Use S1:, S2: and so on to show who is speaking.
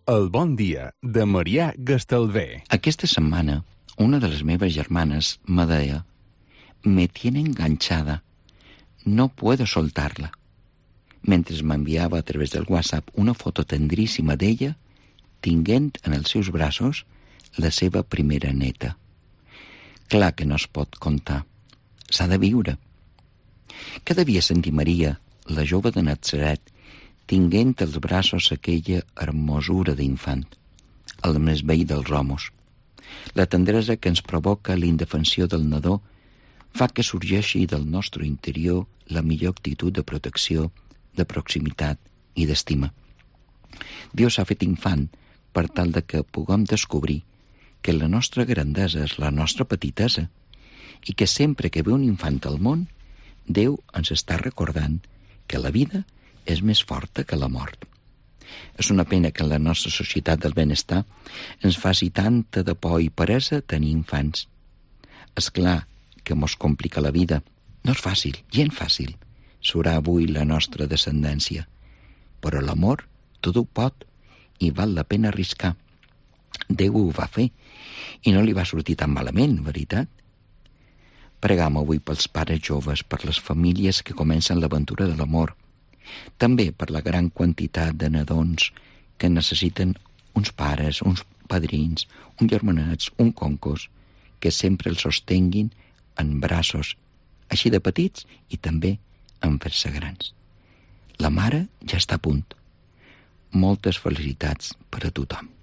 S1: El bon dia de Marià Gastalver.
S2: Aquesta setmana, una de les meves germanes me deia: «Me tiene enganchada, no puedo soltarla», mentre m'enviava a través del WhatsApp una foto tendríssima d'ella tinguent en els seus braços la seva primera neta. Clar que no es pot contar, s'ha de viure. Què devia sentir Maria, la jove de Natzaret, tinguent als braços aquella hermosura d'infant, el més vell dels homes? La tendresa que ens provoca l'indefensió del nadó fa que sorgeixi del nostre interior la millor actitud de protecció, de proximitat i d'estima. Déu s'ha fet infant per tal de que puguem descobrir que la nostra grandesa és la nostra petitesa i que sempre que ve un infant al món, Déu ens està recordant que la vida és més forta que la mort. És una pena que en la nostra societat del benestar ens faci tanta de por i peresa tenir infants. És clar que mos complica la vida. No és fàcil, gens fàcil, serà avui la nostra descendència. Però l'amor tot ho pot i val la pena arriscar. Déu ho va fer i no li va sortir tan malament, veritat? Pregam avui pels pares joves, per les famílies que comencen l'aventura de l'amor, també per la gran quantitat de nadons que necessiten uns pares, uns padrins, uns germanats, un concos, que sempre els sostenguin en braços, així de petits i també en fer-se grans. La mare ja està a punt. Moltes felicitats per a tothom.